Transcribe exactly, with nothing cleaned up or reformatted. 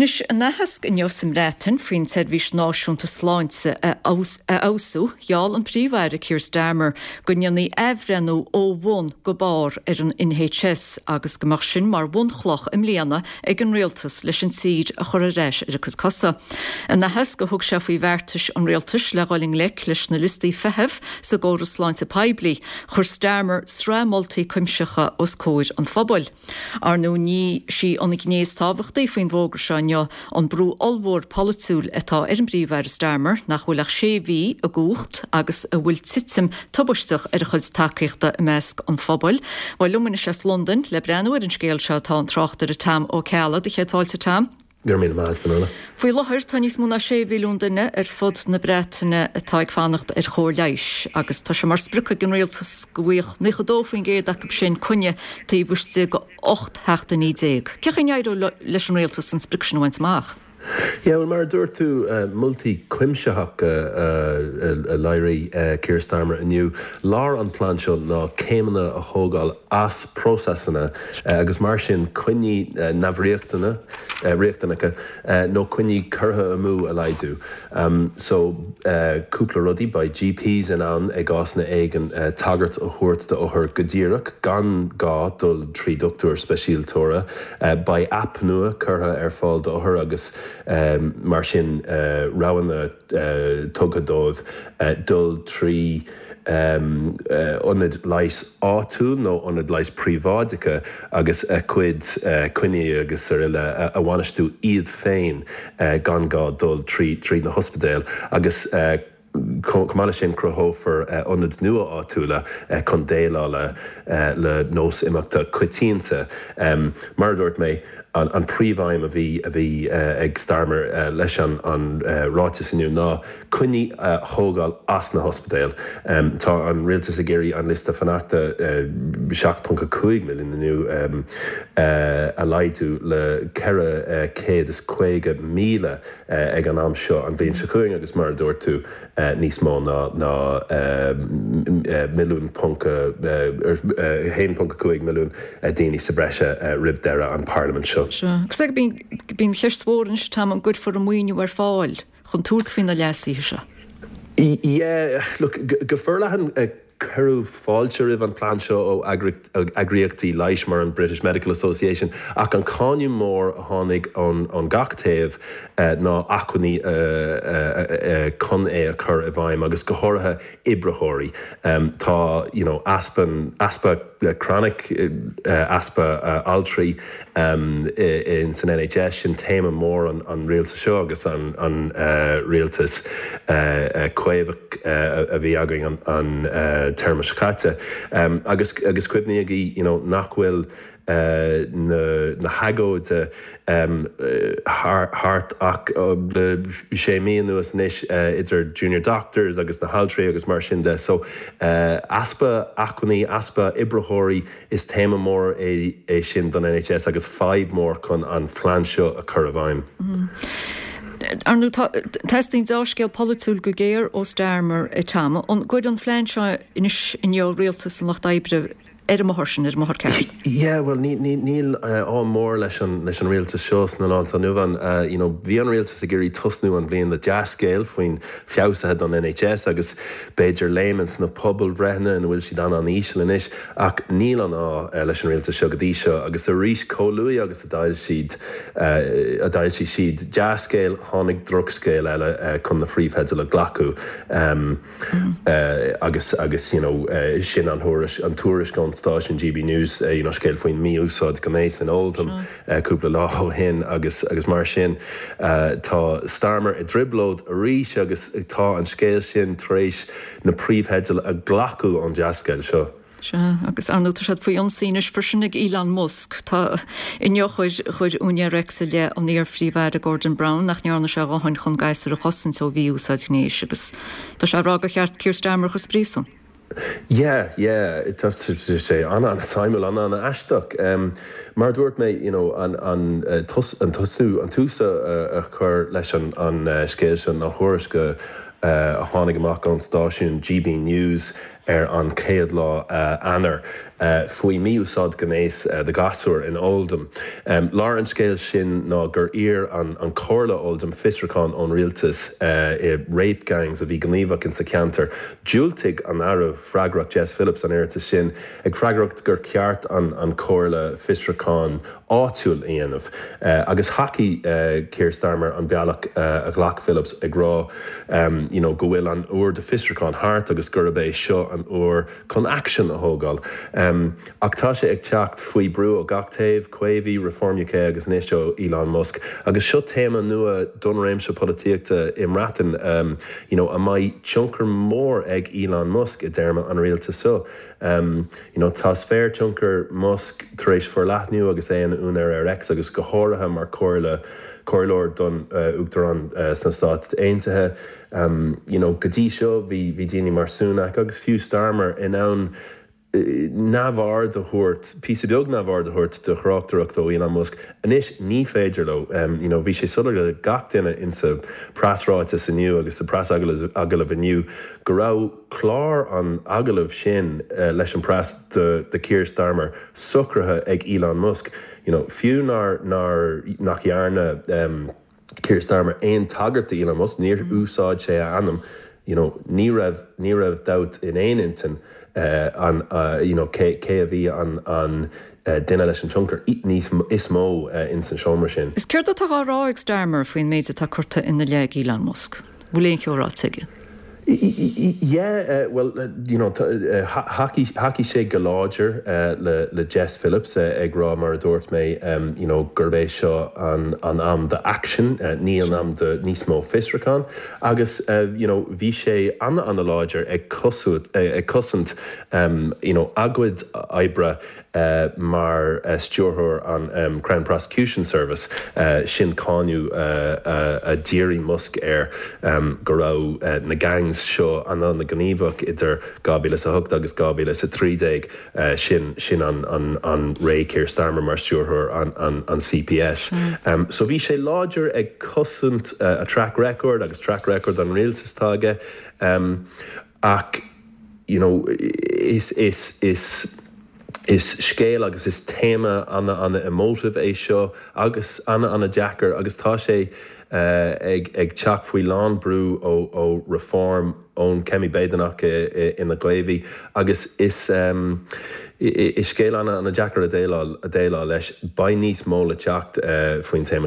Anois, in aitheasc inniu sa mBreatain faoin tSeirbhís Náisiúnta Sláinte a fheabhsú, gheall an Príomh-Aire Keir Starmer go ndéanfaí athbhreithniú ó bhun go barr ar an N H S agus go mbeadh sin mar bhunchloch i mbliana ag an rialtas leis an tír a chur ar ais ar a cuid cosa. In aitheasc a thug sé faoi bheartais an rialtais le dhul i ngleic leis na liostaí feithimh sa gcóras sláinte poiblí, chuir Starmer sraith moltaí cuimsitheacha os comhair an phobail. Ar ndóigh, ní hí an ghné is tábhachtaí faoin bhfógra seo inniu an brú ollmhór polaitiúil atá ar an bPríomh-Aire Starmer, nach bhfuil ach sé mhí i gcumhacht agus a bhfuil titim tubaisteach ar a chuid tacaíochta i measc an phobail. Bhuel, liom anois as Londain le breathnú ar an scéal seo tá an tráchtaire Tom Ó Ceallaigh. Do chéad fáilte, Tom. Gur mí maith. Faoi láthair, tá níos mó ná sé mhilliún duine ar fud na Breataine atá ag fanacht ar chóir leighis, agus tá sé mar sprioc ag an rialtas go bhfaigheadh nócha dó faoin gcéad acu sin coinne taobh istigh de ocht seachtainí déag. Cén chaoi a n-éireoidh leis an rialtas an sprioc sin a bhaint amach? Yeah, well, mar a dúirt tú, uh, moltaí cuimsitheacha uh, a léirigh uh, Keir Starmer inniu. Lár an plean seo ná céimeanna a thógáil as próiseasanna uh, agus mar sin coinní uh, neamhriachtana uh, riachtanacha uh, nó coinní curtha amú a laghdú. Um, so uh, cúpla rudaí: beidh G Ps in ann i gcásanna éigin uh, tagairt a thabhairt d'othar go díreach gan gá dul trí dochtúir speisialtóra. Uh, beidh app nua curtha ar fáil d'othair agus um, mar sin uh, roghanna uh, tugtha dóibh uh, dul trí um, uh, ionad leighis áitiúil nó ionad leighis príobháideacha agus a cuid uh, coinní agus araile a, a bhainistiú iad féin uh, gan gá dul trí trí na hospidéil agus uh, chomh maith sin, cruthófar ionaid nua áitiúla chun déileáil le le nós imeachta coitianta. Um, mar dúirt mé, an, an príomhaidhm a bhí a bhí uh, ag Starmer uh, leis an, an uh, ráiteas inniu ná coinní uh, thógáil as na hospidéil. Um, tá an rialtas ag iarraidh an liosta fanachta uh, seacht ponc cúig milliún inniu um, uh, a laghdú le ceithre uh, céad is caoga míle uh, ag an am seo an bhliain seo chugainn, agus mar a dúirt tú, uh, níos mó ná ná uh, milliún ponc haon ponc cúig milliún uh, daoine sa breise uh, roimh deireadh an parlaimint seo. Agus ag bíonn ceist mhór anois, Tom, an gcuirfear an maoiniú ar fáil chun tabhairt faoi na leasuithe seo. Yeah, look, go forleathan cuireadh fáilte roimh an plean seo ó eagraíochtaí leighis mar an British Medical Association, ach an cáineadh mór a tháinig an an gach taobh uh, ná acmhainní uh, uh, uh, chun é a chur i bhfeidhm, agus go háirithe oibritheoirí. Um, tá you know, easpa easpa chronic uh, easpa uh, altraí um, in san N H S, sin téama mór an, an rialtas seo agus an, an uh, rialtas uh, uh, Caomhach uh, a bhí againn an, an uh, téarma seo caite. Um, agus agus cuimhnígí you know, nach bhfuil uh, na, na hagóidí um, thart ach uh, le sé mí anuas anois uh, idir junior doctors agus na haltraí agus mar sin de. So uh, easpa acmhainní, easpa oibritheoirí, is téama mór é, é sin don N H S agus fadhb mór chun an plean seo a chur i bhfeidhm. Mm. Ar ndóigh, teastaíonn dea-scéal polaitiúil go géar ó Starmer, a Tom, an gcuirfidh an plean seo anois inniu rialtas an Lucht Oibre ar an mbóthar sin, ar an mbóthar ceart? Yeah, well, níl ádh mór leis an leis an rialtas seo sna laethanta anuas. uh, you know, bhí an rialtas ag iarraidh tosnú an bhliain le dea-scéal faoin feabhsuithe don N H S agus b'fhéidir léim sna pobalbhreitheanna ina bhfuil siad an an-íseal anois, ach níl an ádh uh, leis an rialtas seo go dtí seo, agus arís, chomh luath agus a d'fhoilsigh siad uh, a d'fhoilsigh siad dea-scéal, tháinig drochscéal eile uh, chun na príomhtheidil a ghlacadh um, mm. uh, agus agus you know, uh, sin an thuairisc an tuairisc ón stáisiún G B News, uh, you know, scéal faoin mí-úsáid gnéis in Oldham uh, cúpla lá ó shin agus agus mar sin uh, tá Starmer i dtrioblóid arís agus tá an scéal sin tar éis na príomhtheidil a ghlacadh ón dea-scéal seo. Sea, agus ar ndóigh tá siad faoi ionsaí anois freisin ag Elon Musk. Tá inniu chuir chuir úinéir X i leith an iar-phríomh-aire Gordon Brown nach ndearna sé a dhóthain chun gasúir a chosaint ó mhí-úsáid ghnéis, agus tá sé ag rá gur cheart Keir Starmer a chur sa phríosún. Yeah, yeah, tá sé an an suimiúil, an an aisteach. Um, mar dúirt mé, you know, an an uh, tus, an tosú an tús a, a chur leis an an uh, scéal sin, an thuairisc uh, a tháinig amach ón stáisiún G B News. ar an chéad lá Eanáir faoi mhí-úsáid gnéis de ghasúr in Oldham. Lár an scéil sin ná gur iarr an an Comhairle Oldham fiosrúchán ón rialtas i rape gangs a bhí gníomhach in sa ceantar. Diúltaigh an Aire freagrach Jess Phillips an iarratas sin ag freagairt gur ceart an an Comhairle fiosrúchán áitiúil a dhéanamh. Agus thacaigh Keir Starmer an bealach a ghlac Phillips ag rá you know, go bhfuil an uair de fiosrúchán thart agus gurb é seo an uair chun action a thógáil. Um, ach tá sé ag teacht faoi brú ó gach taobh, Caomhaigh, Reform UK agus anois ó Elon Musk. Agus seo téama nua don réimse polaitíochta i mBreatain um, you know, a mbeidh tionchar mór ag Elon Musk i dtéarma an rialtas seo. Um, you know, tá sféar tionchar Musk tar éis forleathnú agus é ina úinéir ar X agus go háirithe mar comhairle comhairleoir don uh, Uachtarán uh, sna Stáit Aontaithe. Um, you know, go dtí seo bhí bhí daoine mar Sunak agus fiú Starmer in ann neamhaird a thabhairt píosa beag neamhaird a thabhairt do thráchtaireacht ó Elon Musk. Anois ní féidir leo um, you know, bhí sé soiléir le gach duine insa preasráiteas inniu agus sa preasagallamh inniu go raibh clár an agallaimh sin uh, leis an press de, de Keir Starmer socraithe ag Elon Musk. You know, fiú nár nár nach dhearna um, Keir Starmer aon tagairt do Elon Musk, níor úsáid sé a ainm, you know, ní raibh ní raibh dabht in aon intinn uh, an uh, you know, cé, cé a bhí an, an uh, duine leis an tionchar níos is mó uh, in san seomra sin. Is céard atá á rá ag Starmer faoin méid atá curtha ina leith ag Elon Musk. Bhfuil aon cheo ráite aige. Yeah, uh, well, uh, you know, uh, thacaigh sé go láidir uh, le, le Jess Phillips uh, ag rá mar a dúirt mé um, you know, gurb é seo an, an am de action, uh, ní an am de níos mó fiosrúchán, agus uh, you know, bhí sé an an-láidir ag cosú, uh, ag cosaint um, you know, a chuid oibre uh, mar uh, stiúrthóir an um, Crown Prosecution Service uh, sin cáineadh uh, uh, a dhírigh Musk air um, go raibh uh, na gangs seo an an-ghníomhach idir dhá mhíle a hocht agus dhá mhíle a trí déag uh, sin sin an, an, an ré Keir Starmer mar stiúrthóir an, an, an CPS. Mm. Um, so bhí sé láidir ag cosaint uh, a track record agus track record an rialtas aige um, ach you know, is is is is scéal agus is téama an an emotive é seo agus an an-deacair agus tá sé uh, ag, ag teacht faoi lán brú ó, ó Reform ón Kemi Badenoch ina gCaomhaigh agus is um, is scéal an an-deacair a déileáil a déileáil leis beidh níos mó le teacht uh, faoin téama seo.